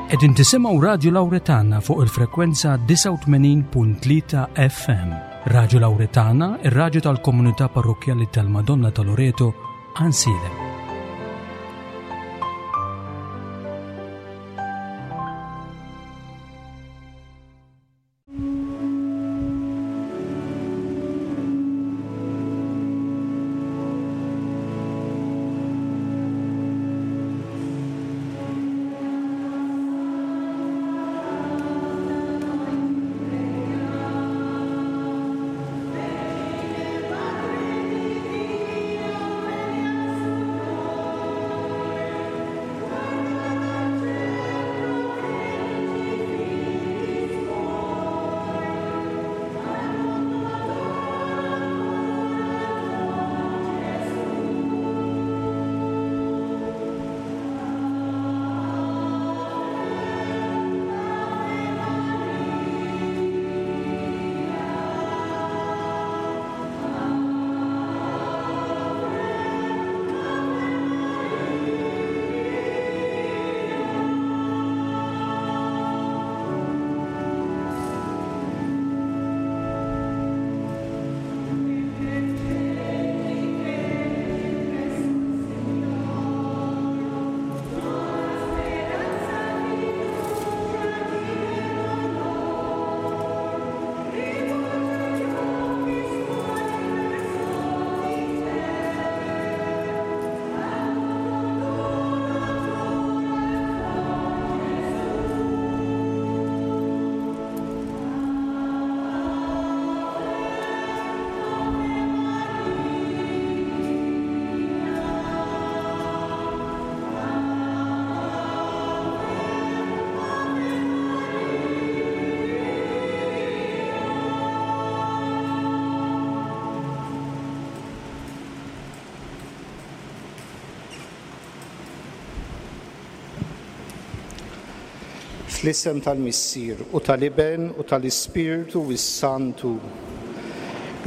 Qegħdin tisimgħu Radju Lawretana fuq il-frekwenza 89.3 FM. Radju Lawretana, ir-radju tal-komunità parrokkjali tal-Madonna ta' Loreto, Ansilem. Fl-isem tal-Missier u tal-Iben u tal-Ispirtu s-Santu,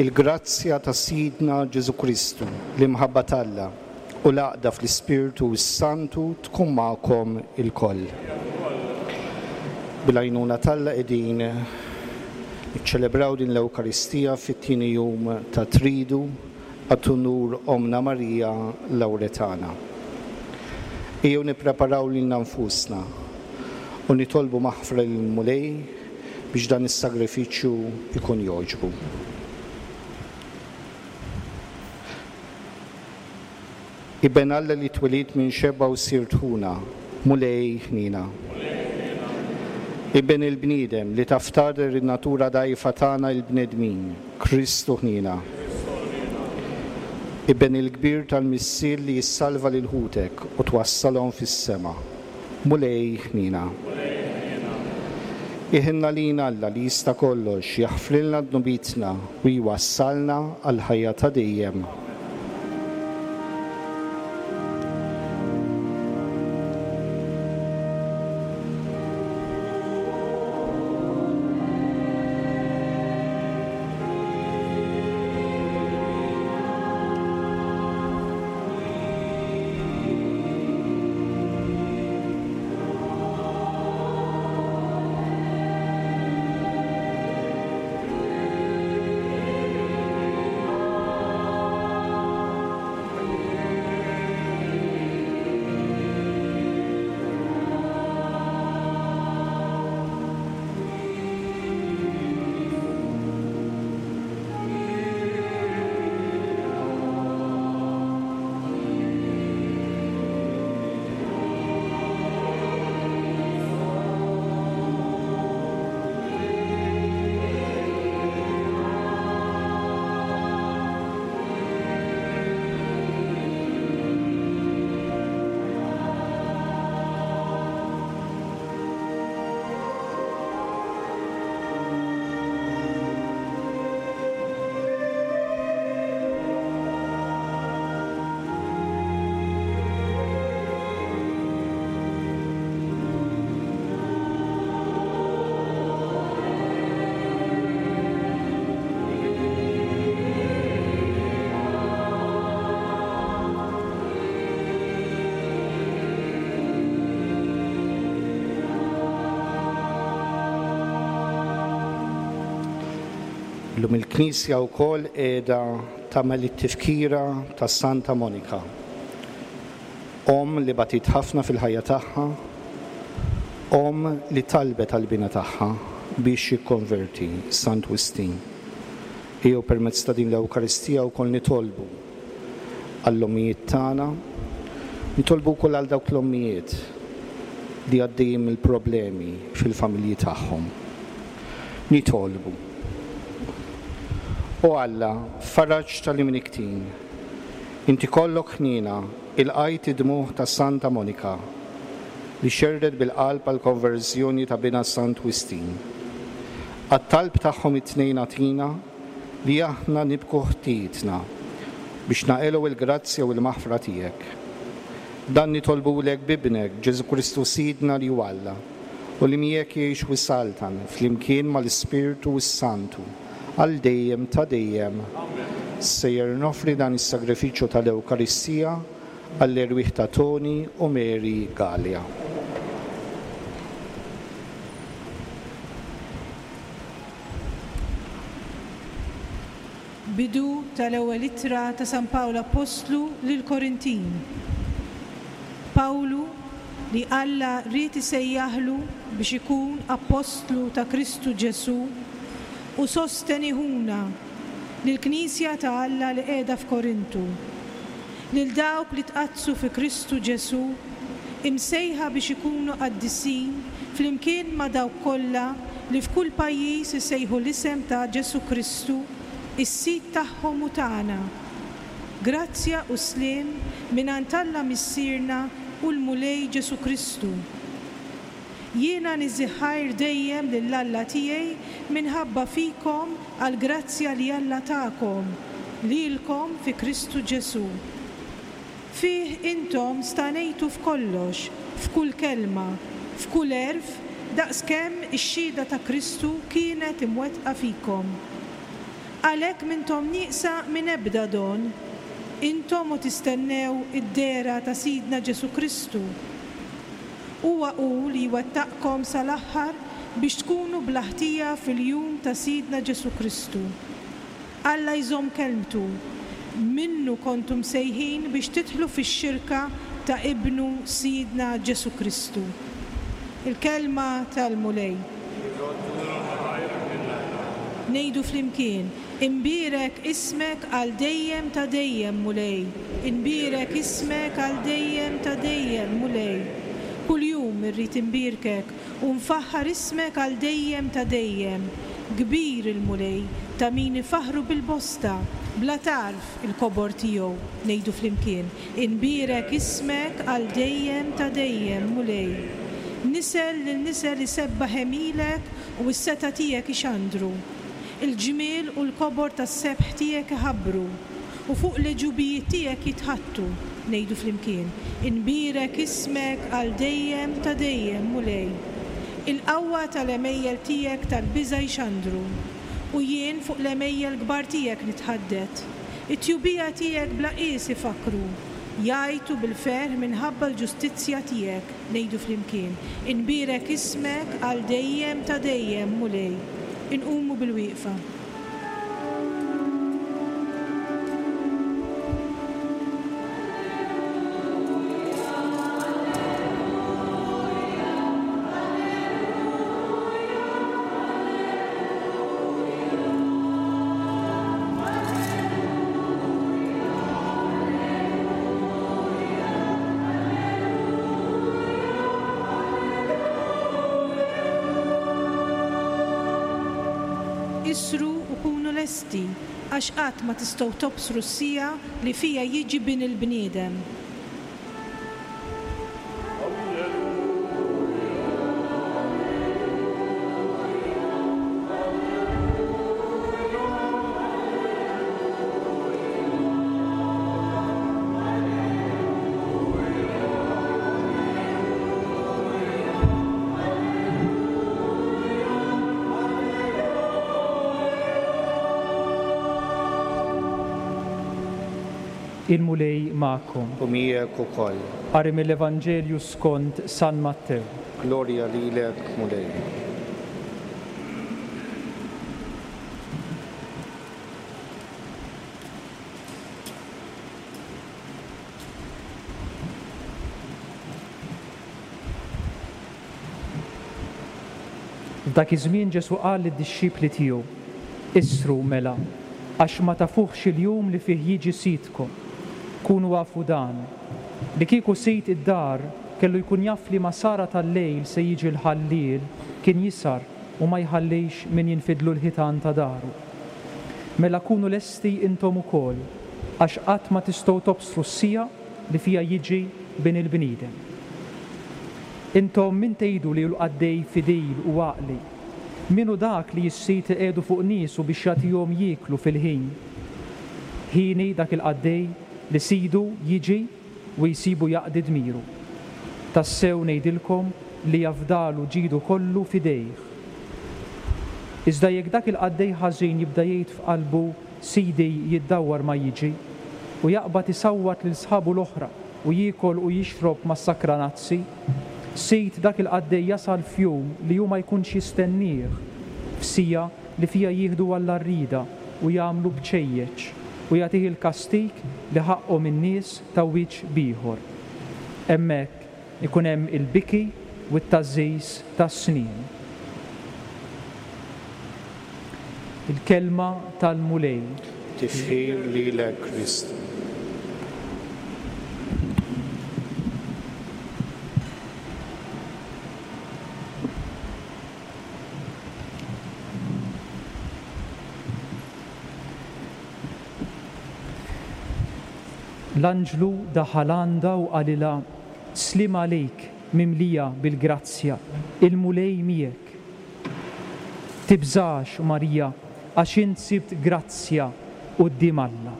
il-grazzja ta' Sidna Ġesù Kristu, l-imħabba t'Alla, u l-għaqda fl-Ispirtu s-Santu tkun magħkom ilkoll. Bil-għajnuna t'Alla qegħdin niċċelebraw din l-Ewkaristija fit-tieni jum ta' Tridu għad unur Ommna Marija Lawretana. Ejjew nippreparaw lilna nfusna u nitolbu maħfra lill-Mulej biex dan is-sagrifiċċju jkun jogħġbu. Iben Alla li twelidt minn xebgħa u sirt ħuna, Mulej ħniena. Iben il-bniedem li taf tagħder in-natura dgħajfa tagħna il-bnedmin, Kristu ħniena. Iben il-kbir tal-Missier li jissalva lil ħutek u twassalhom fis-sema, Mulej ħniena. Iħenn għalina Alla li jista' kollox, jaħfrilna dnubietna u jwassalna għall-ħajja ta' dejjem. Illum il-Knisja wkoll qiegħda tagħmel it-tifkira ta' Santa Monika, omm li batiet ħafna fil-ħajja tagħha, omm li talbet għal binha tagħha biex jikkonverti, Sant Wistin. Ejjew permezz ta' din l-Ewkaristija wkoll nitolbu għall-ommijiet tagħna, nitolbu wkoll għal dawk l-ommijiet li għaddejjin mill-problemi fil-familji tagħhom. Nitolbu. O Alla, faraġ tal-imnikktin, inti kollok ħniena, ilqajt id-dmugħ ta' Santa Monika, li xerrdet bil-qalb għall-konverżjoni ta' binha Sant Wistin. Għat-talb tagħhom it-tnejn agħtina li aħna nibku ħtietna biex naqilgħu l-grazzja u l-maħfra tiegħek. Dan nitolbulek b'Ibnek, Ġesù Kristu Sidna li hu Alla, u li miegħek jgħix u jsaltan flimkien mal-Ispirtu s-Santu, għal dejjem ta' dejjem. Amen. Sejjer noffri dan is-sagrifiċċju tal-Ewkaristija għall-erwieħ ta' Tony u Mary Galea. Bidu tal-Ewwel Ittra ta' San Pawl Appostlu lill-Korintin. Pawlu, li Alla ried isejjaħlu biex ikun appostlu ta' Kristu Ġesù, u Sosteni ħuna, lill-Knisja ta' Alla li qiegħda f'Korintu, lil dawk li tqaddsu fi Kristu Ġesù, imsejħa biex ikunu qaddisin flimkien ma' dawk kollha li f'kull pajjiż isejħu l-isem ta' Ġesù Kristu, is-Sid tagħhom u tagħna. Grazzja u sliem mingħand Alla Missierna u l-Mulej Ġesù Kristu. Jiena niżżih ħajr dejjem lil Alla tiegħi minħabba fikom għall-grazzja li Alla takom lilkom fi Kristu Ġesù. Fih intom stagħnejtu f'kollox, f'kull kelma, f'kull għerf, daqskemm ix-xhieda ta' Kristu kienet imwettqa fikom. Għalhekk m'intom nieqsa minn ebda don, intom u tistennew id-dehra ta' Sidna Ġesù Kristu. Huwa hu li jwettaqkom sal-aħħar biex tkunu bla ħtija fil-jum ta' Sidna Ġesù Kristu. Alla jżomm kelmtu. Minnu kontu msejħin biex tidħlu fix-xirka ta' Ibnu Sidna Ġesù Kristu. Il-Kelma tal-Mulej. Ngħidu flimkien, Imbierek ismek għal dejjem ta' dejjem, Mulej, inbierek ismek għal dejjem ta' dejjem, Mulej. Kuljum irrid inbierkek U nfaħħar ismek għal dejjem ta' dejjem. Kbir il-Mulej, ta' min ifaħħru bil-bosta, bla tarf il-kobor tiegħu, ngħidu flimkien, Inbierek ismek għal dejjem ta' dejjem, Mulej. Nisel lil nisel isebbaħ għemilek u s-setgħa tiegħek ixandru. Il-ġmiel u l-kobor tas-sebħ tiegħek iħabbru. U fuq l-għeġubijiet tiegħek jitħaddtu, ngħidu flimkien, Inbierek ismek għal dejjem ta' dejjem, Mulej. Il-qawwa tal-għemejjel tiegħek tal-biża' jxandru, u jien fuq l-għemejjel kbar tiegħek nitħaddet. It-tjubija tiegħek bla qies ifakkru, jgħajtu bil-ferħ minħabba l-ġustizzja tiegħek, ngħidu flimkien, Inbierek ismek għal dejjem ta' dejjem, Mulej. Inqumu bilwieqfa. Isru u kunu lesti, għax qatt ma tistgħu tobsru s-siegħa li fiha jiġi Bin il-bniedem. Il-Mulej magħkom. U miegħek ukoll. Qari mill-Evanġelju skont San Mattew. F'dak iż-żmien Ġesù qal lid-dixxipli tiegħu, Isru, mela, għax ma tafuhx il-jum li fih jiġi Sidkom. Kunu afu dan, li kieku sid id-dar kellu jkun jaf liema sara tal-lejl se jiġi l-ħalliel, kien jisgħar u ma jħallix min jinfidlu l-ħitan ta' daru. Mela kunu lesti intom ukoll, għax qatt ma tistgħu tobsru s-siegħa li fiha jiġi Bin il-bniedem. Intom min tgħidu li hu l-qaddej fidil u għaqli? Min hu dak li s-sid iqiegħdu fuq niesu biex jagħtihom jieklu fil-ħin? Hieni dak il-qaddej li sidu jiġi u jsibu jaqdi dmiru. Tassew ngħidilkom li jafdalu ġidu kollu f'idejh. Iżda jekk dak il-qaddej ħażin jibda jgħid f'qalbu, 'Sidi jiddawwar ma jiġi', u jaqbad isawwat lil sħabu l-oħra u jiekol u jixrob mas-sakranazzi, sid dak il-qaddej jasal f'jum li hu ma jkunx jistennieh, f'siegħa li fiha jieħdu għall-għarrieda u jagħmlu bċejjeċ, u jagħtih il-kastig li ħaqqhom in-nies ta' wiċċ b'ieħor. Hemmhekk ikun hemm il-biki u t-tgħażżiż tas-snien. Il-Kelma tal-Mulej. Tifħir lilek Kristu. L-anġlu daħal għandha u qalilha, Sliem għalik, mimlija bil-grazzja, il-Mulej miegħek. Tibżax, Marija, għax int sibt grazzja quddiem Alla.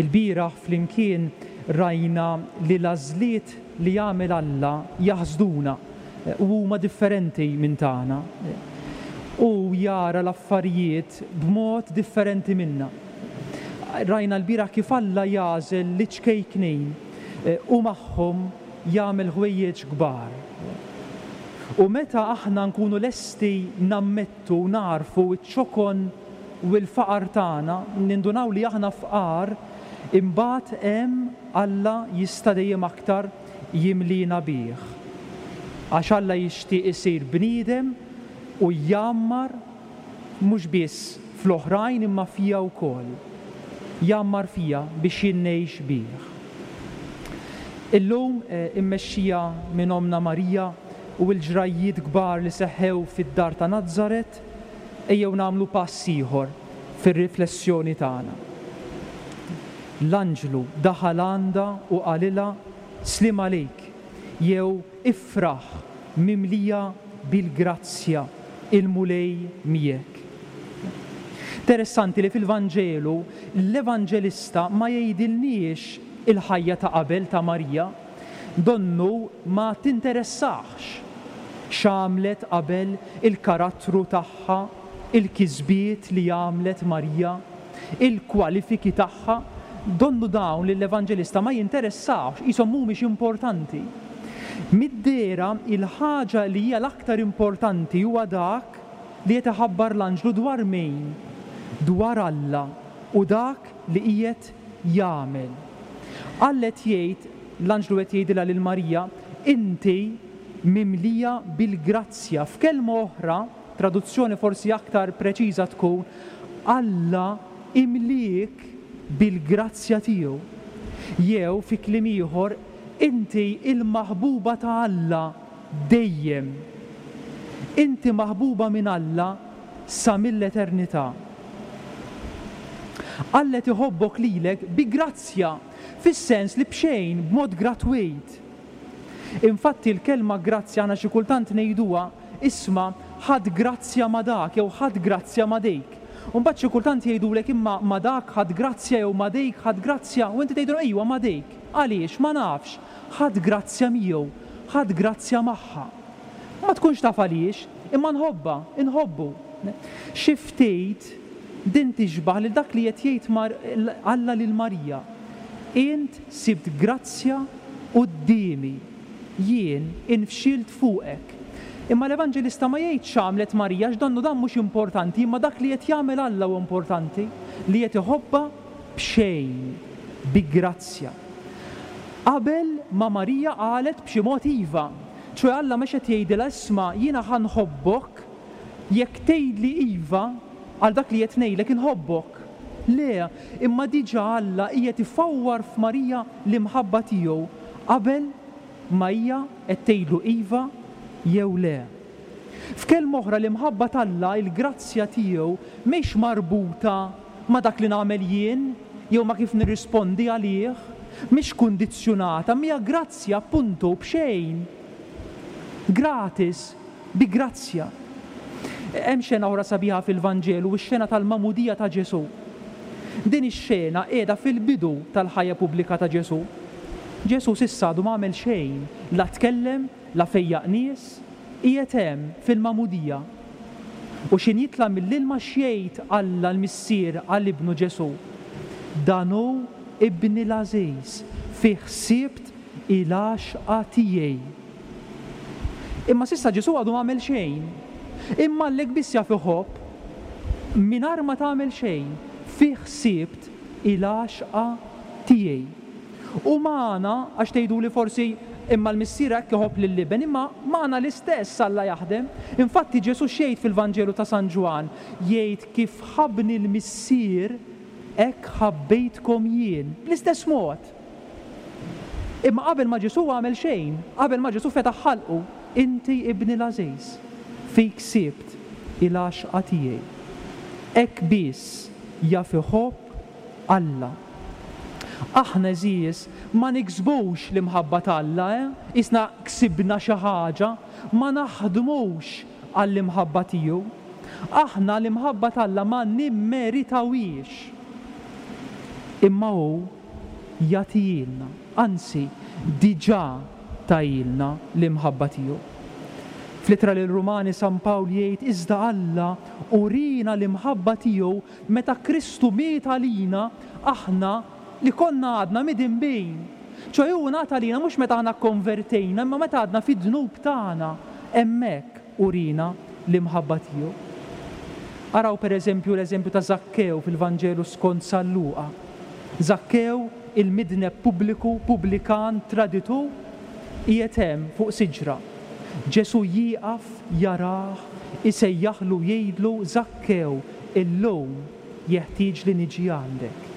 Ilbieraħ flimkien rajna li l-għażliet li jagħmel Alla jaħsduna u huma differenti minn tagħna. Hu jara l-affarijiet b'mod differenti minna. Rajna lbieraħ kif Alla jagħżel liċ-ċkejknin u magħhom jagħmel ħwejjeġ kbar. U meta aħna nkunu lesti nammettu u nagħrfu ċ-ċokon u l-faqar tagħna, nindunaw li aħna fqar, imbagħad hemm Alla jista' dejjem aktar jimliena bih. Għax Alla jixtieq isir bniedem u jgħammar mhux biss fl-oħrajn imma fija wkoll. Jgħammar fija biex jien ngħix bih. Illum, immexxija minn Ommna Marija u l-ġrajjiet kbar li seħħew fid-dar ta' Nazaret, ejjew nagħmlu pass ieħor fir-riflessjoni tagħna. L-anġlu daħal għandha u qalilha, Sliem għalik, jew Ifraħ, mimlija bil-grazzja, il-Mulej miegħek. Interessanti li fil-Vanġelu l-evanġelista ma jgħidilniex il-ħajja ta' qabel ta' Marija, donnu ma tinteressahx x'għamlet qabel, il-karattru tagħha, il-kisbiet li għamlet Marija, il-kwalifiki tagħha, donnu dawn lill-evanġelista ma jinteressawhx, qishom mhumiex importanti. Mid-dehra, il-ħaġa li hija l-aktar importanti huwa dak li qed iħabbar l-anġlu dwar min? Dwar Alla u dak li qiegħed jagħmel. Alla qed jgħid, l-anġlu qed jgħidilha lil Marija, inti mimlija bil-grazzja. F'kelma oħra, traduzzjoni forsi aktar preċiża tkun, Alla imliek bil-grazzja tiegħu. Jew, fi kliem ieħor, inti l-maħbuba ta' Alla dejjem. Inti maħbuba minn Alla sa mill-eternità. Alla qed iħobbok lilek bi grazzja, fis-sens li b'xejn, b'mod gratwit. Infatti l-kelma grazzja aħna xi kultant ngħiduha, isma' ħadt grazzja ma' dak jew ħadt grazzja ma' dik. U mbagħad xi kultant jgħidulek imma ma' dak ħadt grazzja jew ma' dik ħadt grazzja u inti tgħidilhom ejwa ma' dik. Għaliex? Ma nafx. Ħadt grazzja miegħu, ħadt grazzja magħha. Ma tkunx taf għaliex, imma nħobbha, inħobbu. Xi ftit din tixbah lil dak li qed jgħid Alla lil Marija, Int sibt grazzja quddiemi, jien infxilt fuqek. Imma l-Evanġelista ma jgħidx x'għamlet Marija għax donnu dan mhux importanti imma dak li qed jagħmel Alla hu importanti, li qed iħobbha b'xejn, bi grazzja. Qabel ma Marija qalet b'xi mod iva. Ċoe Alla mhux qed jgħidilha isma' jiena ħa nħobbok jekk tgħidli iva għal dak li qed ngħidlek inħobbok. Le, imma diġà Alla qiegħed ifawwar f'Marija l-imħabba tiegħu qabel ma hija qed tgħidlu iva jew le. F'kelma oħra l-imħabba t'Alla, il-grazzja tiegħu, mhix marbuta ma' dak li nagħmel jien jew ma' kif nirrispondi għalih, mhix kundizzjunata, imma hija grazzja, appuntu, b'xejn. Gratis, bi grazzja. Hemm xena oħra sabiħa fil-Vanġelu, ix-xena tal-magħmudija ta' Ġesù. Din ix-xena qiegħda fil-bidu tal-ħajja pubblika ta' Ġesù. Ġesù s'issa għadu m'għamel xejn, la tkellem, la fejjaq nies, qiegħed hemm fil-magħmudija. U x'in jitla' mill-ilma x'jgħid Alla l-Missier għal Ibnu Ġesù? Dan hu Ibni l-għażiż, fih sibt il-għaxqa tiegħi. Imma s'issa Ġesù għadu m'għamel xejn. Imma Allek biss jaf iħobb, mingħajr ma tagħmel xejn, fih sibt il-għaxqa tiegħi. U magħna, għax tgħiduli forsi, imma l-Missier hekk iħobb lill-Iben, imma magħna l-istess Alla jaħdem. Infatti Ġesù x'jgħid fil-Vanġelu ta' San Ġwann? Jgħid kif ħabbni l-Missier, hekk ħabbejtkom jien. Bl-istess mod. Imma qabel ma Ġesù għamel xejn, qabel ma Ġesù fetaħ ħalqu, Inti ibni l-għażiż, fik sibt il-għaxqa tiegħi. Hekk biss jaf iħobb Alla. Aħna għeżież ma niksbux l-imħabba ta' Alla, eh? Qisna ksibna xi ħaġa, ma naħdmux għall-imħabba tiegħu. Aħna l-imħabba t'Alla ma nimmeritawhiex. Imma hu jagħtihielna, anzi diġà tahielna l-imħabba tiegħu. Fl-Ittra lill-Rumani San Pawl jgħid iżda Alla uriena l-imħabba tiegħu Meta Kristu miet għalina, aħna li konna għadna midinbin. Ċoe hu ngħata għalina mhux meta aħna kkonvertejna, imma meta għadna fid-dnub tagħna. Hemmhekk uriena l-imħabba tiegħu. Araw per eżempju l-eżempju ta' Żakkew fil-Vanġelu skont San Luqa. Żakkew, il-midneb pubbliku, pubblikan, traditur, qiegħed hemm fuq siġra. Ġesù jieqaf, jarah, isejjaħlu u jgħidlu, Żakkew, illum jeħtieġli niġi għandek.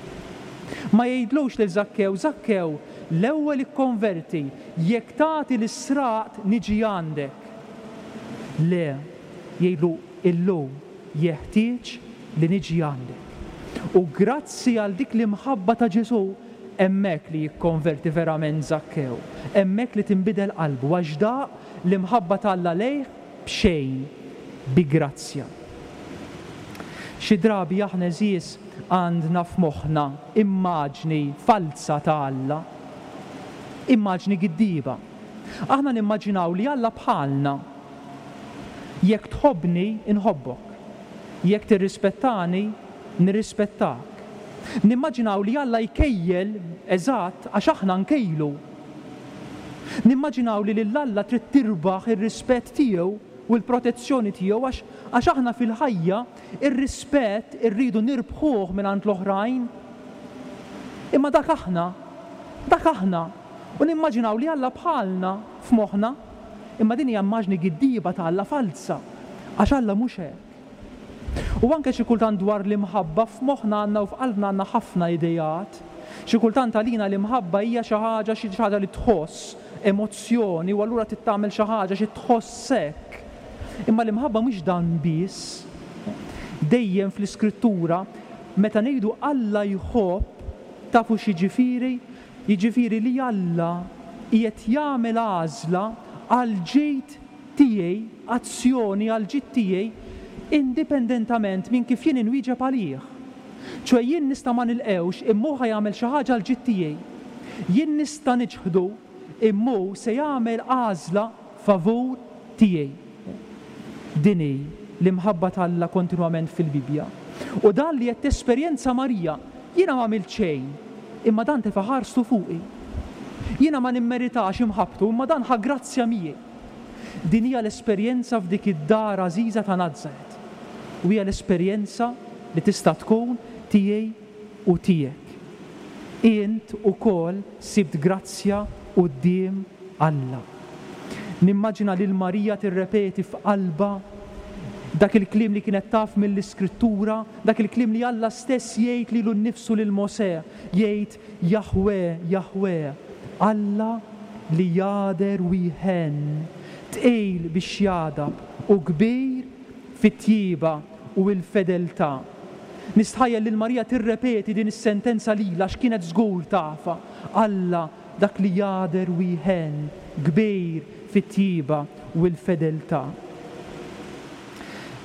Ma jgħidlux lil Żakkew, Żakkew, l-ewwel ikkonverti, jekk tagħti lis-sraqt niġi għandek. Le, jgħidlu, illum jeħtieġ li niġi għandek. U grazzi għal dik l-imħabba ta' Ġesù, hemmhekk li jikkonverti verament Żakkew, hemmhekk li tinbidel qalbu għax daq l-imħabba ta' Alla lejh b'xejn, bi grazzja. Xi drabi aħna għeżież għandna f'moħħna immaġni falza ta' Alla, immaġni giddieba. Aħna nimmaġinaw li Alla bħalna. Jekk tħobbni, inħobbok. Jekk tirrispettani, nirrispettak. Nimmaġinaw li Alla jkejjel eżatt għax aħna nkejlu. Nimmaġinaw li lil Alla trid tirbaħ ir-rispett tiegħu u l-protezzjoni tiegħu għax għax aħna fil-ħajja ir-rispett irridu nirbħuh mingħand l-oħrajn. Imma dak aħna. Dak aħna. U nimmaġinaw li Alla bħalna f'moħħna. Imma din hija immaġni giddieba ta' Alla falza. Għax Alla mhux hekk. U anke xi kultant dwar l-imħabba, f'moħħna għandna u f'qalbna għandna ħafna ideat. Xi kultant għalina l-imħabba hija xi ħaġa, xi ħaġa li tħoss, emozzjoni, u allura trid tagħmel xi ħaġa xi tħoss hekk. Imma l-imħabba mhix dan biss. Dejjem fl-Iskrittura, meta ngħidu Alla jħobb, tafu x'jiġifieri? Jiġifieri li Alla qiegħed jagħmel għażla għall-ġid tiegħi, azzjoni għall-ġid tiegħi, indipendentament minn kif jien inwieġeb għalih. Ċoe jien nista' ma nilqgħux imma hu ħa jagħmel xi ħaġa għall-ġid tiegħi. Jien nista' niċħdu imma hu se jagħmel għażla favur tiegħi. Din hi l-imħabba t'Alla kontinwament fil-Bibbja. U dan li qed tesperjenza Marija, jiena m'għamilt xejn, imma dan tefa' ħarstu fuqi. Jiena ma nimmeritax imħabbtu, imma dan ħa grazzja miegħi. Din hija l-esperjenza f'dik id-dar għażiża ta' Nazaret. U hija l-esperjenza li tista' tkun tiegħi u tiegħek. Int ukoll sibt grazzja quddiem Alla. Nimmaġina lil Marija tirrepeti f'qalbha dak il-kliem li kienet taf mill-Iskrittura, dak il-kliem li Alla stess jgħid lilu nnifsu lil Mosè, jgħid, Jaħwè, Jaħwè, Alla li jagħder u jħenn, tqil biex jagħdab u kbir fit-tjieba u l-fedeltà. Nistħajjel lil Marija tirrepeti din is-sentenza lilha għax kienet żgur tafha, Alla dak li jagħder u jħenn, kbir fit-tjieba u l-fedeltà.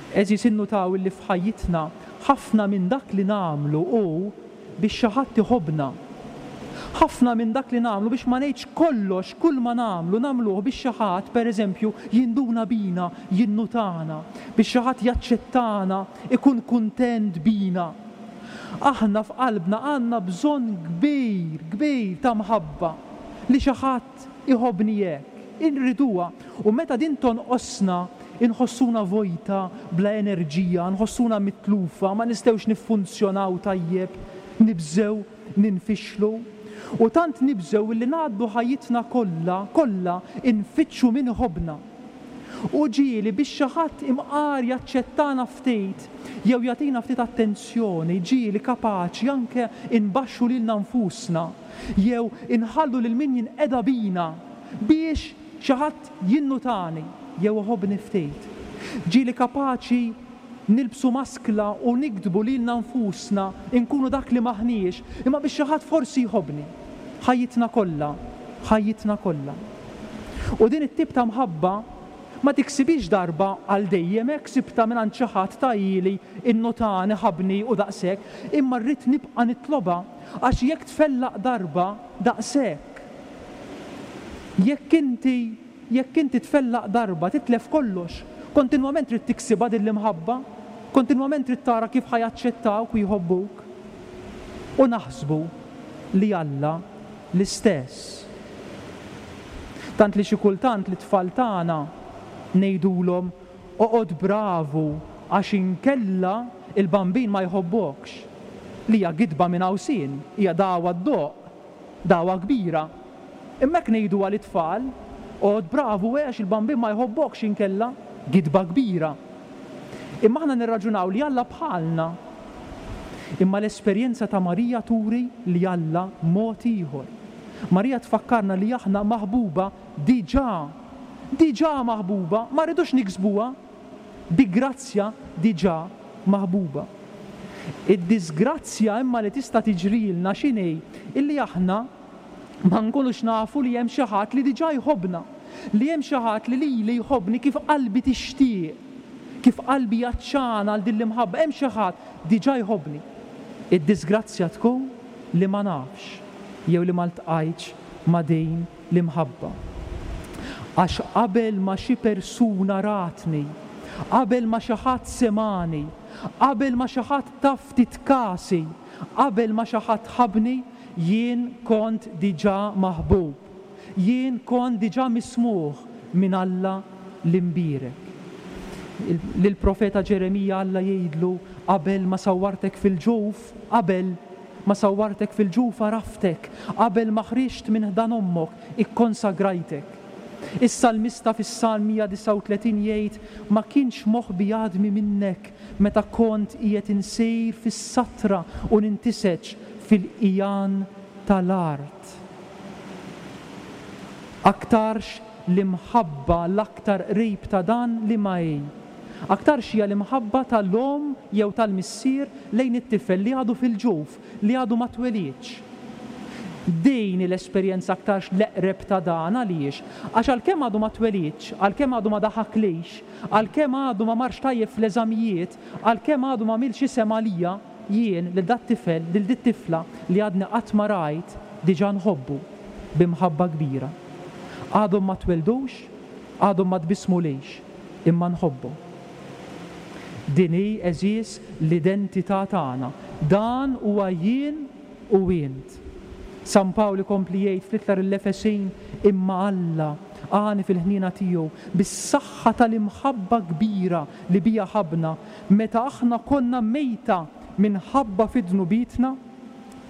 Għeżież innutaw illi f'ħajjitna ħafna minn dak li nagħmlu hu biex xi ħadd iħobbna. Ħafna minn dak li nagħmlu, biex ma ngħidx kollox, kull ma nagħmlu, nagħmluh biex xi ħadd, per eżempju, jinduna bina, jinnutana, biex xi ħadd jaċċettana, ikun kuntent bina. Aħna f'qalbna għandna bżonn kbir, kbir ta' mħabba, li xi ħadd iħobbni hekk. Inriduha. U meta din tonqosna, inħossuna vojta, bla enerġija, nħossuna mitlufa, ma nistgħux niffunzjonaw tajjeb, nibżgħu, ninfixlu. U tant nibżgħu illi ngħaddu ħajjitna kollha, kollha, infittxu min iħobbna. U ġieli biex xi ħadd imqar jaċċettana ftit jew jagħtina ftit attenzjoni, ġieli kapaċi anke nbaxxu lilna nfusna jew inħallu lil min jinqeda bina biex xi ħadd jinnutani jew iħobbni ftit. Ġieli kapaċi nilbsu maskla u nigdbu lilna nfusna, inkunu dak li m'aħniex, imma biex xi ħadd forsi jħobbni. Ħajjitna kollha, ħajjitna kollha. U din it-tip ta' mħabba ma tiksibhiex darba għal dejjem, hekk sibtha mingħand xi ħadd ta hieli, innotani, ħabbni u daqshekk, imma rrid nibqa' nitlobha għax jekk tfellaq darba, daqshekk. Jekk inti Jekk inti tfellaq darba, titlef kollox. Kontinwament trid tiksibha din l-imħabba. Kontinwament trid tara kif ħa jaċċettawk u jħobbuk. U naħsbu li Alla l-istess. Tant li xi kultant lit-tfal tagħna ngħidulhom oqgħod bravu għax inkella l-Bambin ma jħobbokx. Li hija gidba minn hawn hija dagħwa ddoqq. Dagħwa kbira. Imma hekk ngħiduha lit-tfal, Oqgħod bravu eh għax il-Bambin ma jħobbokx inkella. Gidba kbira. Imma aħna nirraġunaw li Alla bħalna. Imma l-esperjenza ta' Marija turi li Alla mod ieħor. Marija tfakkarna li aħna maħbuba diġà. Diġà maħbuba, ma rridux niksbuha. Bi grazzja diġà maħbuba. Id-diżgrazzja imma li tista' tiġrilna x'inhi? Illi aħna ma nkunux nafu li hemm xi ħadd li diġà jħobbna, li hemm xi ħadd li lili jħobbni kif qalbi tixtieq, kif qalbi għatxana għal din l-imħabba, hemm xi ħadd diġà jħobbni. Id-diżgrazzja tkun li ma nafx jew li ma ltqajtx ma' din l-imħabba. Għax qabel ma xi persuna ratni, qabel ma xi ħadd semagħni, qabel ma xi ħadd ta ftit kasi, qabel ma xi ħadd ħabbni, jien kont diġà maħbub. Jien kont diġà mismugħ minn Alla l-Imbierek. Lill-profeta Ġeremija Alla jgħidlu, Qabel ma sawwartek fil-ġuf, qabel, Ma sawwartek fil-ġuf għaraftek, qabel ma ħriġt minn ħdan ommok ikkonsagrajtek. Is-salmista fis-Salm 139 jgħid, Ma kienx moħbi għadmi minnek meta kont qiegħed insir fis-satra u nintiseġ fil-qigħan ta' l-art. Aktarx l-imħabba l-aktar qrib ta' dan liema hi? Aktarx hija l-imħabba ta' l-omm jew tal-missier lejn it-tifel li għadu fil-ġuf, li għadu ma twelidx. Din hi l-esperjenza aktarx l-eqreb ta' dan. Għaliex? Għax għalkemm għadu ma twelidx, għalkemm għadu ma daħaklix, għalkemm għadu ma marx tajjeb fl-eżamijiet, għalkemm għadu ma għamilx isem għalija, jien lil dat-tifel, lil dit-tifla li għadni qatt ma rajt, diġà nħobbu bi mħabba kbira. Għadhom ma tweldux, għadhom ma tbissmulix, imma nħobbhom. Din hi, għeżież, l-identità tagħna. Dan huwa jien u int. San Pawl ikompli jgħid fl-Ittra lill-Efesin, Imma Alla, għani fil-ħniena tiegħu, bis-saħħa tal-imħabba kbira li biha ħabbna, meta aħna konna mejta minħabba fi dnubietna,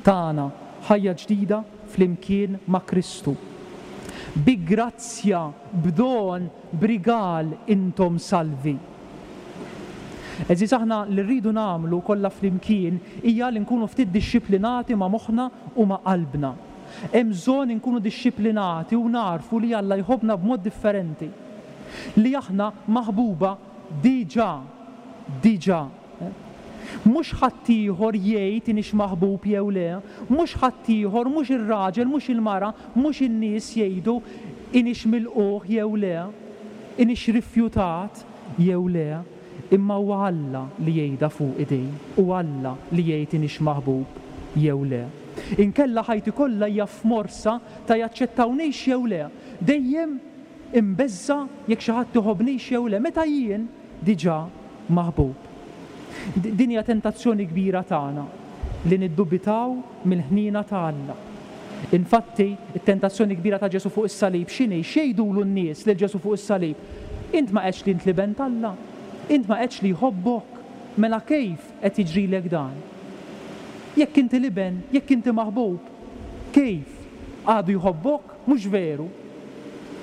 tana ħajja ġdida flimkien ma' Kristu. Bi grazzja, b'don, b'rigal intom salvi. Għeżież aħna li rridu nagħmlu kollha flimkien hija li nkunu ftit dixxiplinati ma' moħħna u ma' qalbna. Hemm bżonn inkunu dixxiplinati u nagħrfu li Alla jħobbna b'mod differenti. Li aħna maħbuba diġà. Diġà. Mhux ħaddieħor jgħid inix maħbub jew le, mhux ħaddieħor, mhux ir-raġel, mhux il-mara, mhux in-nies jgħidu inix milqugħ jew le, inix rifjutat jew le, imma huwa Alla li jgħidha fuqi din, hu Alla li jgħid inix maħbub jew le. Inkella ħajti kollha hija f'morsa ta' jaċċettawnix jew le, dejjem imbeżża' jekk xi ħadd iħobbnix jew le, meta jien diġà maħbub. Din hija tentazzjoni kbira tagħna li niddubitaw mill-ħniena ta' Alla. Infatti, it-tentazzjoni kbira ta' Ġesù fuq is-salib x'inhi? X'jgħidulu n-nies lil Ġesù fuq is-salib? Int ma għedtx li int l-Iben t'Alla? Int ma għedtx li jħobbok? Mela kif qed jiġrilek dan? Jekk inti l-Iben, jekk inti maħbub, kif għadu jħobbok? Mhux veru!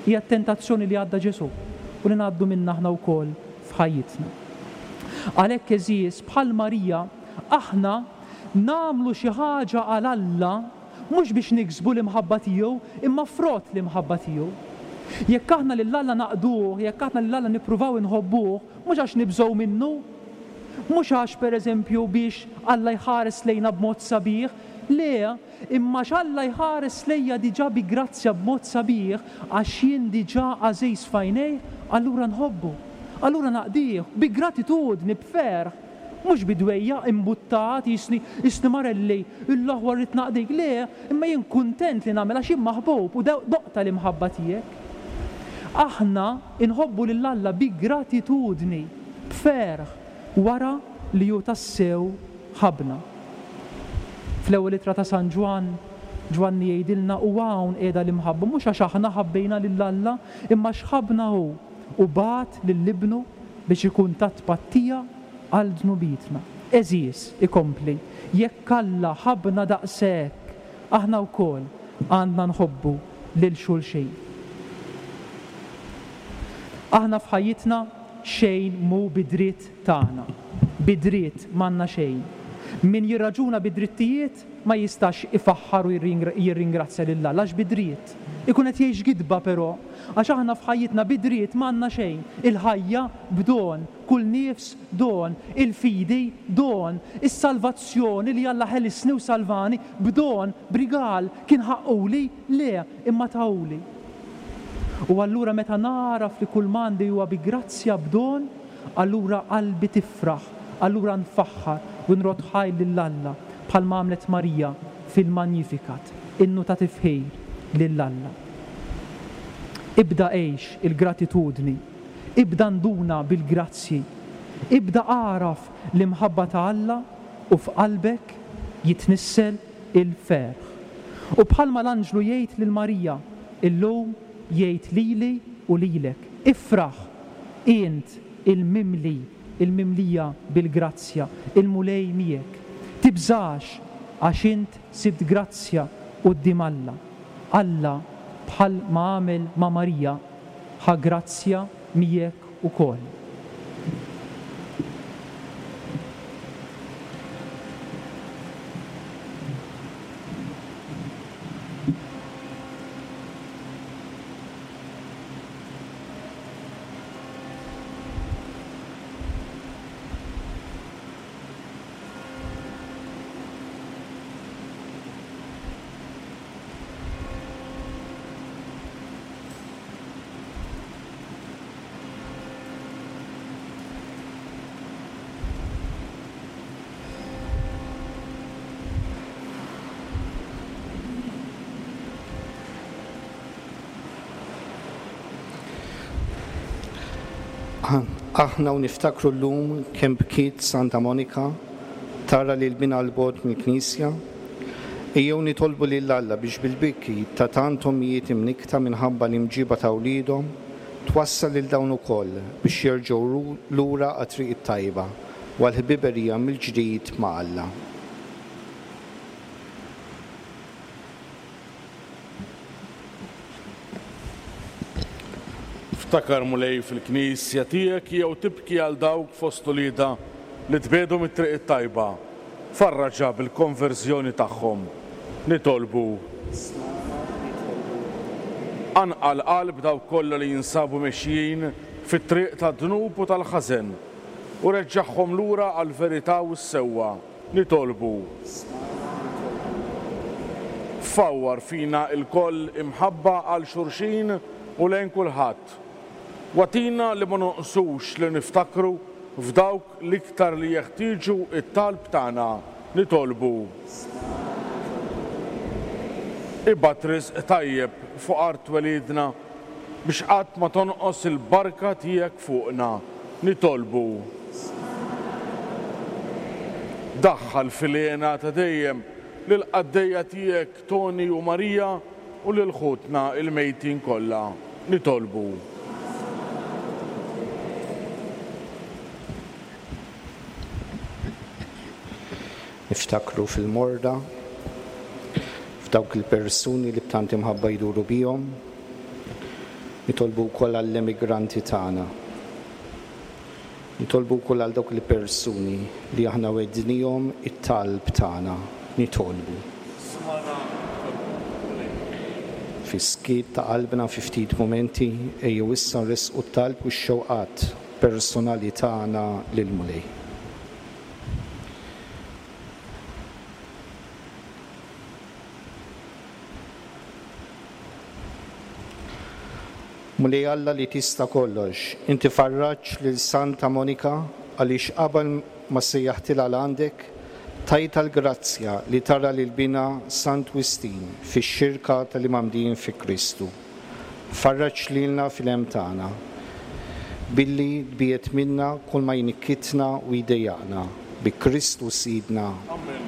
Hija t-tentazzjoni li għadda Ġesù u li ngħaddu minnha aħna wkoll f'ħajjitna. Għalhekk għeżież, bħal Marija, aħna nagħmlu xi ħaġa għal Alla mhux biex niksbu l-imħabba tiegħu imma frott l-imħabba tiegħu. Jekk aħna lil Alla naqduh, jekk aħna lil Alla nippruvaw inħobbuh, mhux għax nibżgħu minnu, mhux għax pereżempju biex Alla jħares lejna b'mod sabiħ, le, Imma għax Alla jħares lejja diġà bi grazzja b'mod sabiħ, għax jien diġà għażiż f'għajnejh, allura nħobbu. Allura naqdih, bi gratitudni, b'ferħ. Mhux bi dwejjaq, imbuttat, qisni, qisni marelli, l-aħwa rrid naqdik. Le, imma jien kuntent li nagħmel għax jien maħbub u doqtha l-imħabba tiegħek. Aħna nħobbu lil Alla bi gratitudni, b'ferħ, wara li hu tassew ħabbna. Fl-ewwel ittra ta' San Ġwann, Ġwanni jgħidilna u hawn qiegħda l-imħabba, mhux għax aħna ħabbejna lil Alla, imma għax ħabbna hu u bagħat lil Ibnu biex ikun ta' tpattija għal dnubietna. Għeżież, ikompli, jekk Alla ħabbna daqshekk, aħna wkoll għandna nħobbu lil xulxin. Aħna f'ħajjitna xejn mhu bi dritt tagħna. Bi dritt m'għandna xejn. Min jirraġuna bi drittijiet ma jistax ifaħħar u jirringrazzja lil Alla għax bi dritt. Ikun qed jgħix gidba però, għax aħna f'ħajjitna bi dritt m'għandna xejn. Il-ħajja b'don, kull nifs don, il-fidi don, is-salvazzjoni li Alla ħelisni u salvani b'don, b'rigal, kien ħaqquli? Le, imma tahuli. U allura meta nagħraf li kull m'għandi huwa bi grazzja b'don, Allura qalbi tifraħ, allura nfaħħar u nrodd ħajr lil Alla bħalma għamlet Marija fil-Magnificat, innu ta' tifħir lil Alla. Ibda għix il-gratitudni, ibda nduna bil-grazzji, ibda agħraf l-imħabba ta' Alla u f'qalbek jitnissel il-ferħ. U bħalma l-anġlu jgħid lil Marija, illum jgħid lili u lilek, ifraħ! Int il-mimli, il-mimlija bil-grazzja, il-Mulej miegħek. Tibżax, għax int sibt grazzja quddiem Alla. Alla, bħal ma għamel ma' Marija, ħa grazzja miegħek ukoll. Aħna u niftakru llum kemm bkiet Santa Monika tara lil binha 'l bogħod mill-Knisja, ejjew nitolbu lil Alla biex bil-biki ta' tant ommijiet imnikkta minħabba l-imġiba ta' wliedhom, twassal lil dawn ukoll biex jerġgħu lura għat-triq it-tajba u għall-ħbiberija mill-ġdid ma' Alla. Ftakar, Mulej, fil-Knisja tiegħek jew tibki għal dawk fost uliedha li tbiegħdu mit-triq it-tajba. Farraġha bil-konverżjoni tagħhom. Nitolbu. Qanqal qalb dawk kollha li jinsabu mexjin fit-triq tad-dnub u tal-ħażen, u reġġagħhom lura għall-verità u s-sewwa. Nitolbu. Fawwar fina lkoll imħabba għal xulxin u lejn kulħadd. U agħtina li ma nonqsux li niftakru f'dawk l-iktar li jeħtieġu t-talb tagħna. Nitolbu. Ibgħat riżq tajjeb fuq art twelidna biex qatt ma tonqos il-barka tiegħek fuqna. Nitolbu. Daħħal fil-hena ta' dejjem lill-qaddejja tiegħek Toni u Maria u lil ħutna l-mejtin kollha. Nitolbu. Niftakru fil-morda, f'dawk il-persuni li b'tant imħabba jduru bihom. Nitolbu wkoll għall-emigranti tagħna. Nitolbu wkoll għal dawk il-persuni li aħna wegħdnihom it-talb tagħna. Nitolbu. Fis-skiet ta' qalbna fi ftit mumenti, ejjew issa nressqu t-talb u x-xewqat personali tagħna lill-Mulej. Mulej Alla li tista' kollox, inti farraġt lil Santa Monika għaliex qabel ma sejjaħtilha 'l għandek, tajtha l-grazzja li tara lil binha Sant Wistin fix-xirka tal-imgħammdin fi Kristu. Farraġ lilna fil-hemm tagħna, billi tbiegħed minna kull ma jnikkitna u jdejjaqna, bi Kristu Sidna. Amen.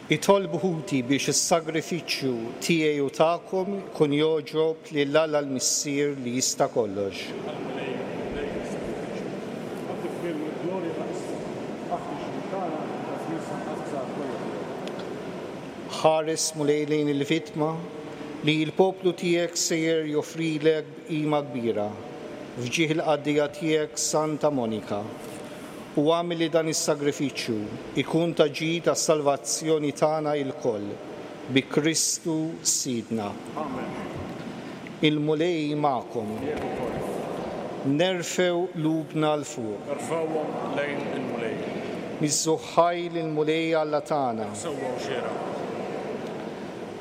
Itolbu ħuti biex is-sagrifiċċju tiegħi u tagħkom ikun jogħġob lil Alla l-Missier li jista' kollox. Ħares, Mulej, lejn il-vittma li l-poplu tiegħek sejjer joffrilek b'qima kbira, f'ġieħ il-qaddejja tiegħek Santa Monika, u agħmel li dan is-sagrifiċċju jkun ta' ġid għas-salvazzjoni tagħna ilkoll, bi Kristu Sidna. Amen. Il-Mulej magħkom. Miegħek ukoll. Nerfgħu qlubna 'l fuq. Nerfgħuhom lejn il-Mulej. Niżżuh ħaj lill-Mulej Alla tagħna. Sewwa u xieraq.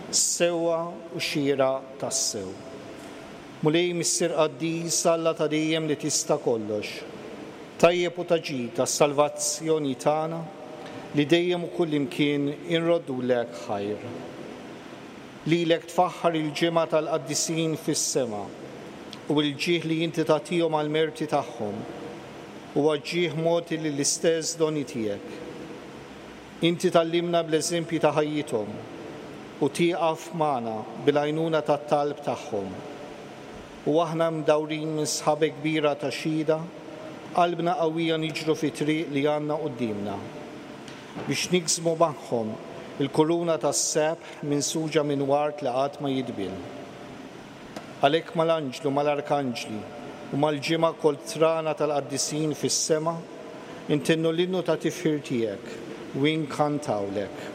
Sewwa u xieraq tassew. Mulej Missier qaddis, Alla ta' dejjem li tista' kollox, tajjeb u ta' ġid għas-salvazzjoni tagħna li dejjem u kullimkien inroddulek ħajr. Lilek tfaħħar il-ġemgħa tal-qaddisin fis-sema u l-ġieħ li inti tagħtihom għall-merti tagħhom huwa ġieħ mogħti lill-istess doni tiegħek. Inti tgħallimna bl-eżempji ta' ħajjithom u tieqaf magħna bil-għajnuna tat-talb tagħhom. U aħna mdawrin minn sħabe kbira ta' xhieda, b'qalbna qawwija niġru fit-triq li għandna quddiemna, biex niksbu magħhom il-kuruna tas-sebħ minsuġa minn ward li qatt ma jidbiel. Għalhekk mal-anġlu, mal-arkanġli, u mal-ġimgħa koltrana tal-qaddisin fis-sema, intennu l-innu ta' tifħir tiegħek u inkantawlek.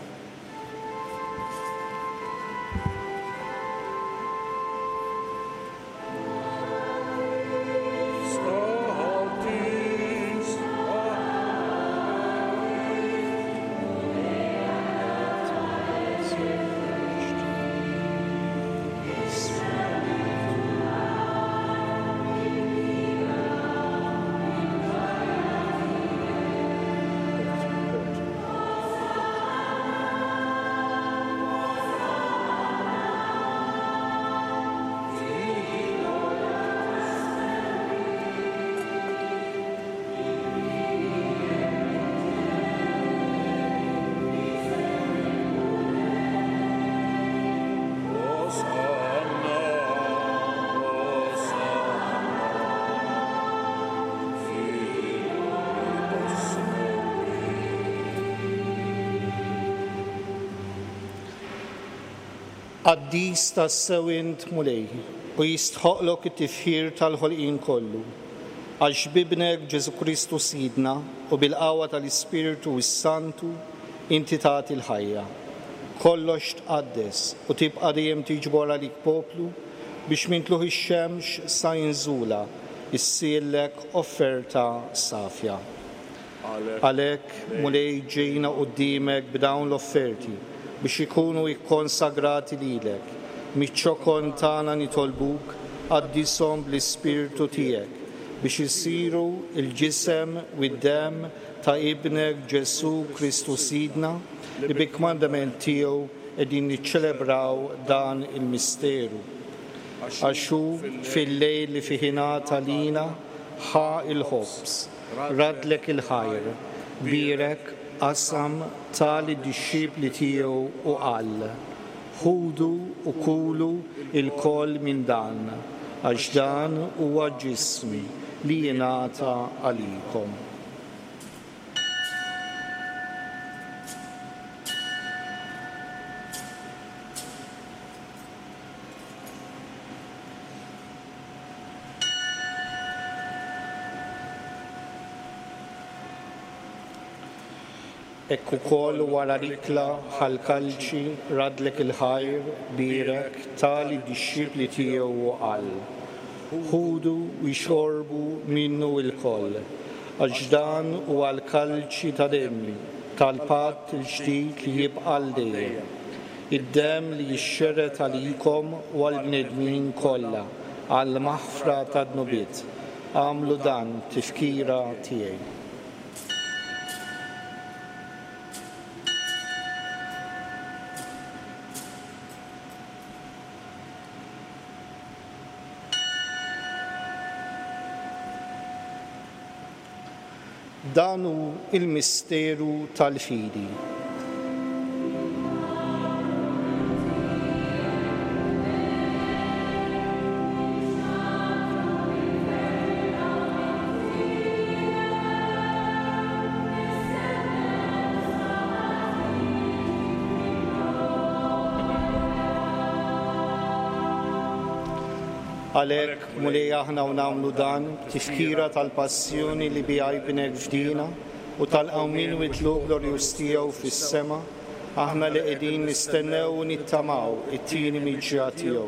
Qaddis tassew int, Mulej, u jistħoqqlok it-tifħir tal-ħolqien kollu, għax b'Ibnek Ġesù Kristu Sidna u bil-qawwa tal-Ispirtu s-Santu inti tagħti l-ħajja. Kollox tqaddes u tibqa' dejjem tiġbor għalik poplu biex minn tlugħ ix-xemx sa inżulha ssirlek offerta safja. Għalhekk, Mulej, ġejna quddiemek b'dawn l-offerti biex ikunu ikkonsagrati lilek. Miċ-ċokon tagħna nitolbuk, qaddishom bl-Ispirtu tiegħek biex isiru l-ġisem u d-demm ta' Ibnek Ġesù Kristu Sidna, li bi kmandament tiegħu qegħdin niċċelebraw dan il-misteru. Għax hu, fil-lejl li fih ingħata lina, ħa l-ħobż, raddlek il-ħajr, bierek, qasam, ta lid-dixxipli tiegħu u qal, Ħudu u kulu lkoll minn dan, għax dan huwa ġismi li jingħata għalikom. Hekk ukoll wara l-ikla ħa l-kalċi, raddlek il-ħajr, bierek, ta lid-dixxipli tiegħu u qal, Ħudu u xorbu minnu lkoll, għax dan huwa l-kalċi ta' demmi, tal-patt il-ġdid li jibqa' għal dejjem, id-demm li jixxerred għalikom u għall-bnedmin kollha għall-maħfra tad-dnubiet. Agħmlu dan b'tifkira tiegħi. Dan hu l-misteru tal-fidi. Għalhekk, Mulej aħna u nagħmlu dan b'tifkira tal-passjoni li biha Ibnek fdina u tal-qawmien u t-tluq glorjuż tiegħu fis-sema, aħna li qegħdin nistennew u nittamaw it-tieni miġja tiegħu,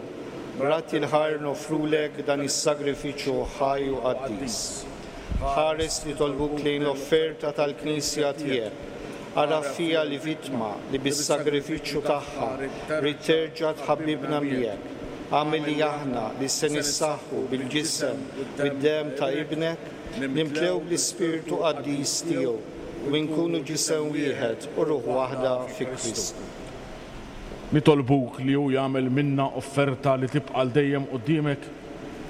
b'radd il-ħajr noffrulek dan is-sagrifiċċju ħaj u qaddis. Ħares nitolbuk lejn l-offerta tal-Knisja tiegħek. Agħraf fiha li vittma li bis-sagrifiċċju tagħha ridt terġa' tħabbibna miegħek. Agħmel li aħna li se nissaħħu bil-ġisem u d-demm ta' Ibnek, nimtlew bl-Ispirtu qaddis tiegħu u nkunu ġisem wieħed u ruħ waħda fi Kristu. Nitolbuk li hu jagħmel minna offerta li tibqa' għal dejjem quddiemek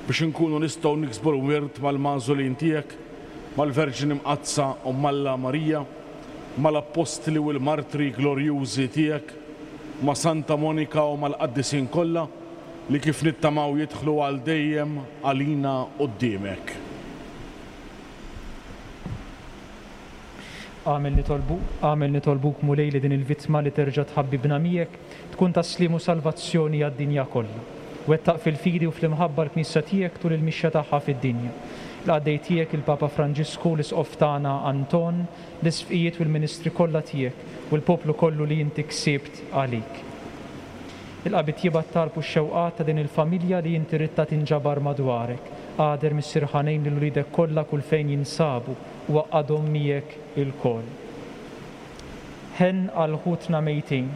biex inkunu nistgħu niksbu l-wirt mal-magħżulin tiegħek, mal-Verġni Mqaddsa Omm Alla Marija, mal-Appostli u l-Martri glorjużi tiegħek, ma' Santa Monika u mal-qaddisin kollha li kif nittamaw jidħlu għal dejjem għalina quddiemek. Agħmel nitolbu, agħmel nitolbuk Mulej li din il-vittma li terġa' tħabbibna miegħek tkun ta' sliem u salvazzjoni għad-dinja kollha. Wettaq fil-fidi u fl-imħabba l-Knisja tiegħek tul il-mixja tagħha fid-dinja. Il-qaddej tiegħek il-Papa Franġisku, l-Isqof tagħna Anton, l-Isfqijiet u l-ministri kollha tiegħek u l-poplu kollu li inti ksibt għalik. Ilqa' bi tjieba t-talb u x-xewqat ta' din il-familja li inti ridtha tinġabar madwarek. Agħder Missier ħanin lil uliedek kollha kull fejn jinsabu u għaqqadhom miegħek ilkoll. Ħenn għal ħutna mejtin.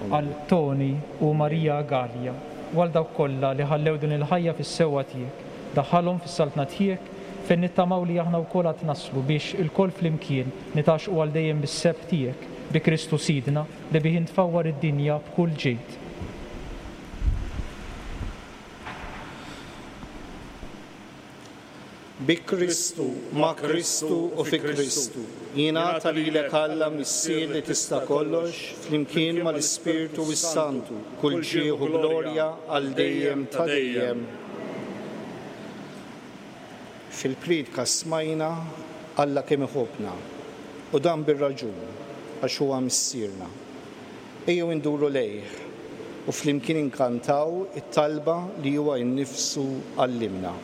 Għal Tony u Maria Galea u għal dawk kollha li ħallew din il-ħajja fis-sewwa tiegħek. Daħħalhom fis-Saltna tiegħek fejn nittamaw li aħna wkoll għad naslu biex ilkoll flimkien nitgħaxxqu għal dejjem bis-sebħ tiegħek, bi Kristu Sidna, li bih int tfawwar id-dinja b'kull ġid. Bi Kristu, ma' Kristu u fi Kristu, jingħata lilek Alla Missier li tista' kollox, flimkien mal-Ispirtu s-Santu, kull ġieħ u glorja għal dejjem ta' dejjem. Fil-priedka smajna Alla kemm iħobbna, u dan bir-raġun, għax huwa Missierna. Ejjew induru lejh u flimkien inkantaw it-talba li huwa innifsu għallimna.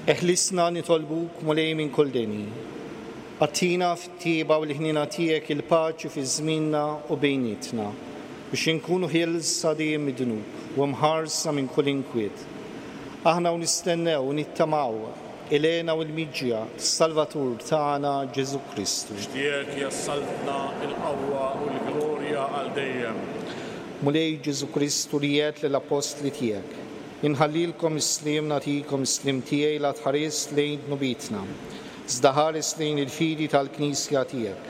Eħlisna nitolbuk, Mulej, minn kull deni. Agħtina fit-tjieba u l-ħniena tiegħek il-paċi fi żmienna u bejnietna, biex inkunu ħielsa dejjem mid-dnub u mħarsa minn kull inkwiet. Aħna u nistennew u nittamaw il-hena u l-miġja tas-Salvatur tagħna Ġesù Kristu. Għax tiegħek hija s-saltna, il-qawwa u l-glorja għal dejjem. Mulej Ġesù Kristu li għedt lill-appostli tiegħek, Inħallilkom is-sliem nagħtikom is-sliem tiegħi la tħares lejn dnubietna, iżda ħares lejn il-fidi tal-Knisja tiegħek.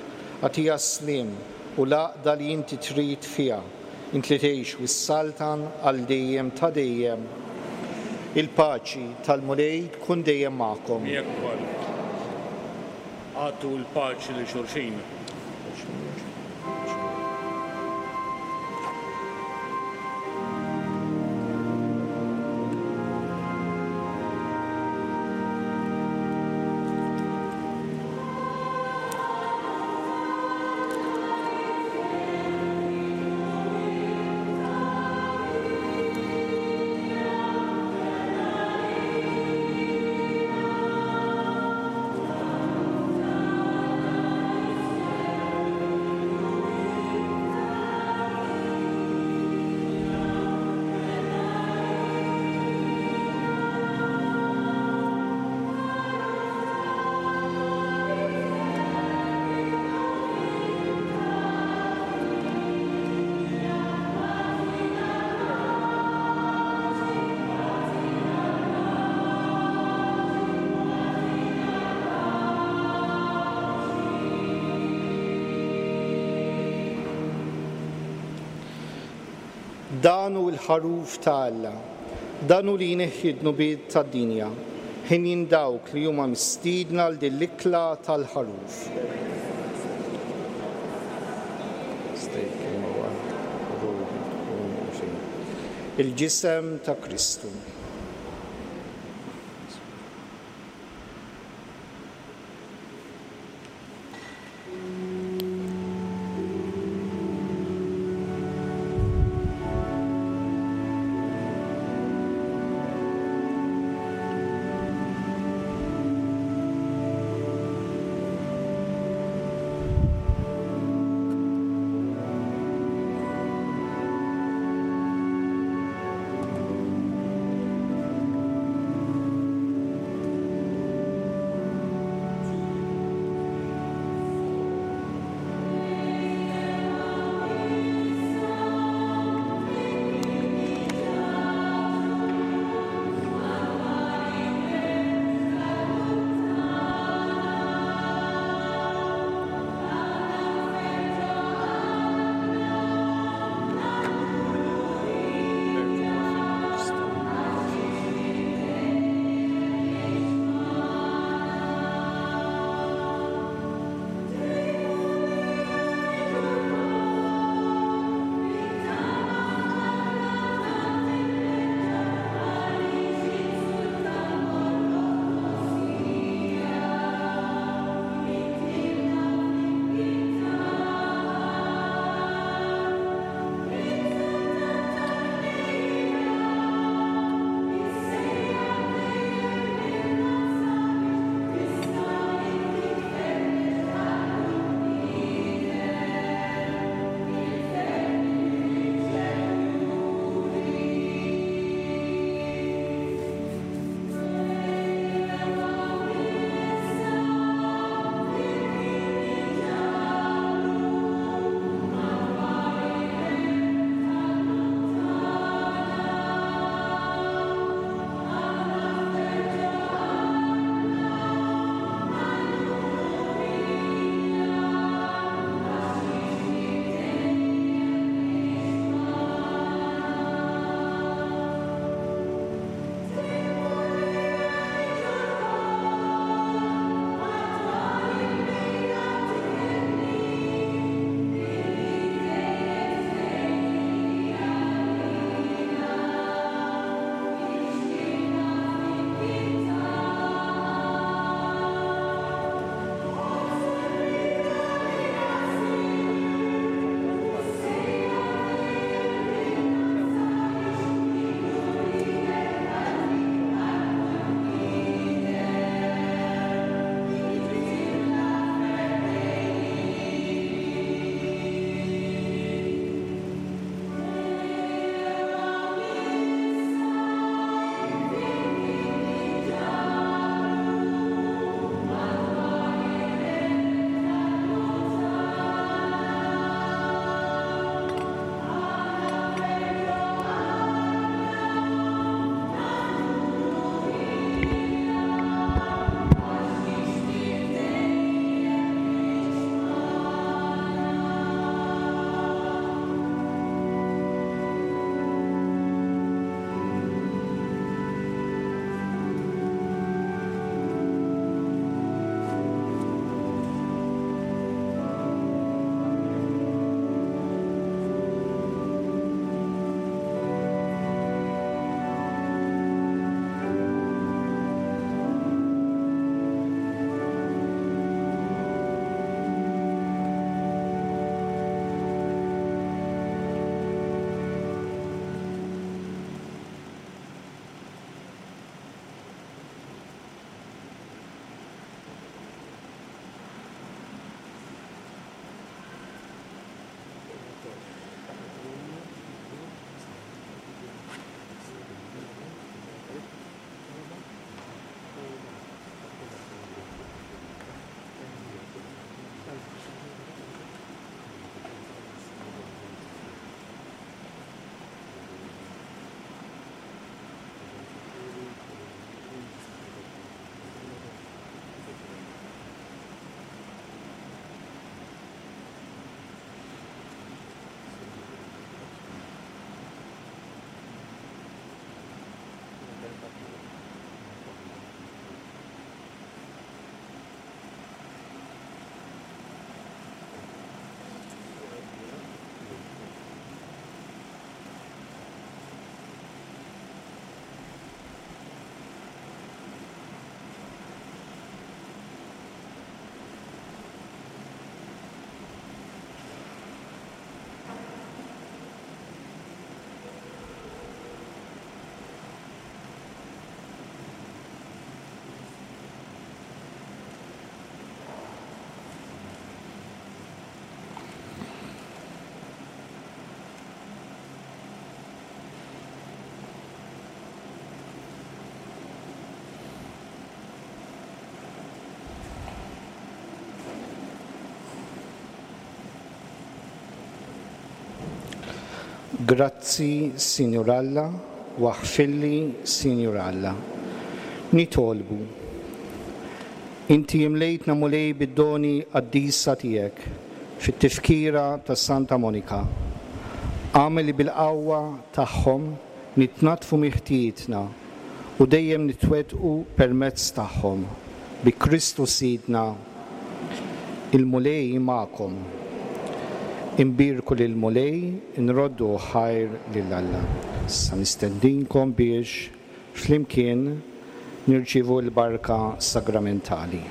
Agħtiha s-sliem u l-għaqda li inti trid fiha, int li tgħix u ssaltan għal dejjem ta' dejjem. Il-paċi tal-Mulej tkun dejjem magħkom. Miegħek ukoll. Agħtu l-paċi lil xulxin. Dan hu l-Ħaruf ta' Alla, dan hu li jneħħi d-dnubiet tad-dinja. Henjin dawk li huma mistiedna għal din l-ikla tal-Ħaruf. Il-ġisem ta' Kristu. Grazzi, Sinjur Alla, u aħfirli, Sinjur Alla. Nitolbu. Inti imlejtna Mulej bid-doni qaddisa tiegħek fit-tifkira ta' Santa Monika. Agħmel li bil-qawwa tagħhom nitnaddfu minn ħtijietna u dejjem nitwettqu permezz tagħhom, bi Kristu Sidna. Il-Mulej magħkom. Inbierku lill-Mulej, inroddu ħajr lil Alla. Issa nistedinkom biex flimkien nirċievu l-barka sagramentali.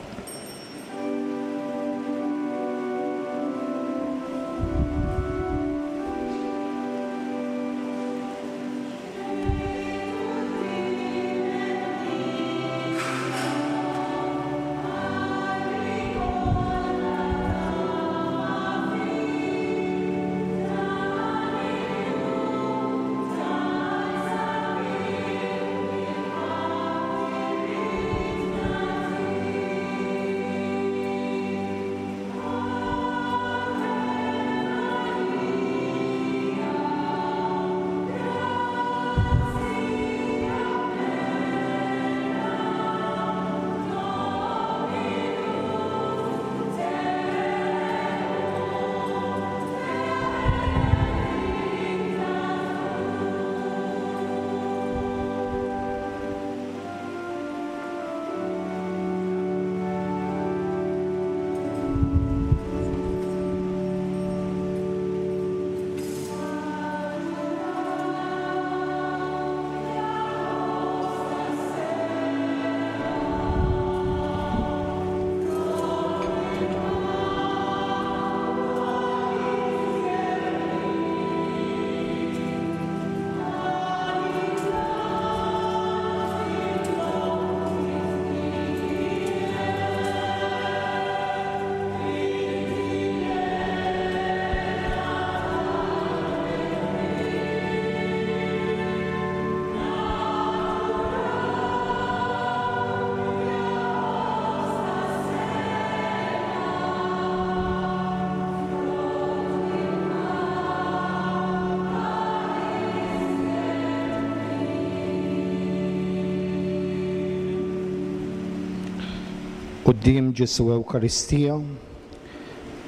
Quddiem Ġesù Ewkaristija,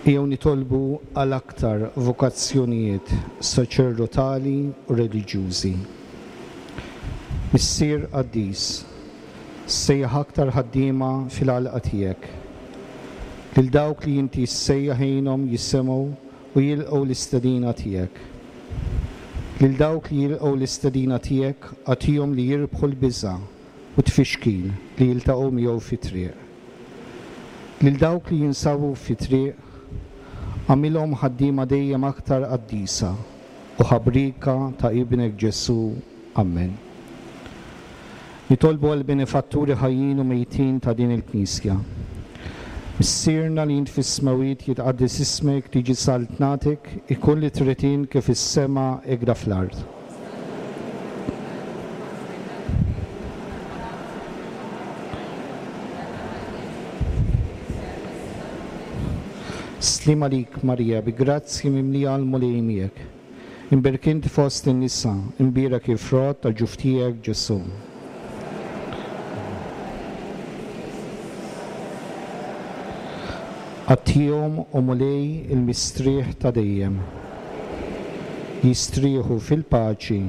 ejjew nitolbu għal aktar vokazzjonijiet saċerdotali u reliġjużi. Missier qaddis, sejjaħ aktar ħaddiema fil-għalqa tiegħek. Lil dawk li inti ssejjaħ għinhom jisimgħu u jilqgħu l-istedina tiegħek. Lil dawk li jilqgħu l-istedina tiegħek agħtihom li jirbħu l-biża' u t-tfixkil li jiltaqgħu miegħu fit-triq. Lil dawk li jinsabu fit-triq, agħmilhom ħaddiema dejjem aktar qaddisa u ħabrieka ta' Ibnek Ġesù. Ammen. Nitolbu għall-benefatturi ħajjin u mejtin ta' din il-Knisja. Missierna li int fis-smewwiet jitqaddes ismek, tiġi saltnatek, ikun li trid int kif fis-sema hekk fl-art. Sliem għalik Marija, bi grazzji mimlija l-Mulej miegħek. Imbierek int fost in-nisa, imbierek il-frott ta' ġuf tiegħek Ġesù. Agħtihom, o Mulej, il-mistrieħ ta' dejjem. Jistrieħu fil-paċi.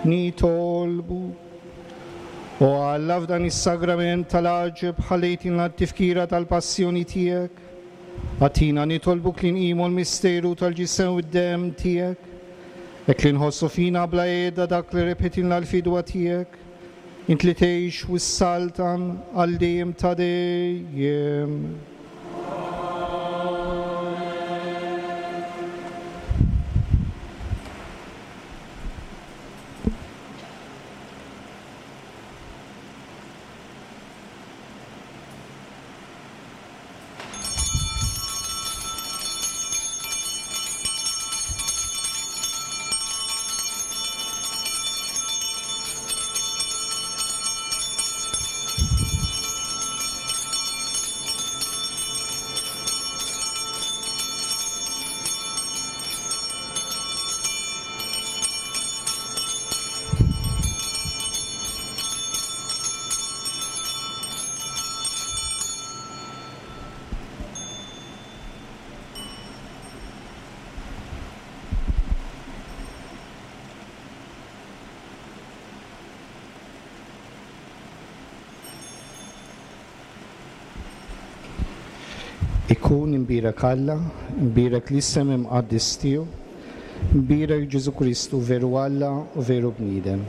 Nitolbu. O Alla, f'dan is-sagrament tal-għaġeb ħallejtilna t-tifkira tal-passjoni tiegħek. Agħtina nitolbuk li nqimu l-misteru tal-ġisem u d-demm tiegħek, hekk li nħossu fina bla qiegħda dak li rebħitilna l-fidwa tiegħek, int li tgħix u ssaltan għal dejjem ta' dejjem. Ikun imbierek Alla, imbierek l-isem imqaddes tiegħu, imbierek Ġesù Kristu veru Alla u veru bniedem,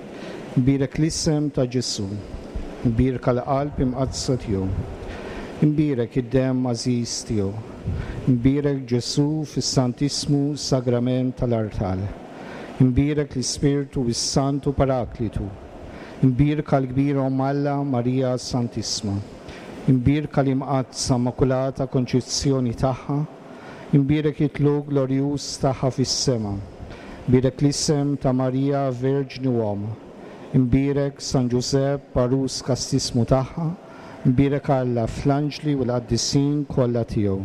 imbierek l-isem ta' Ġesù, imbierka l-qalb imqaddsa tiegħu, imbierek id-demm għażiż tiegħu, imbierek Ġesù fis-Santissmu Sagrament tal-Artal, imbierek l-Ispirtu s-Santu Paraklitu, imbierka l-kbira Omm Alla Marija Santissma. Imbierka l-Imqaddsa Immakulata Konċizzjoni tagħha, imbierek it-tlugħ glorjuż tagħha fis-sema. Bierek l-isem ta' Marija Verġni u Omm. Imbierek San Ġużepp għarus kastissmu tagħha, imbierek Alla fl-anġli u l-qaddisin kollha tiegħu.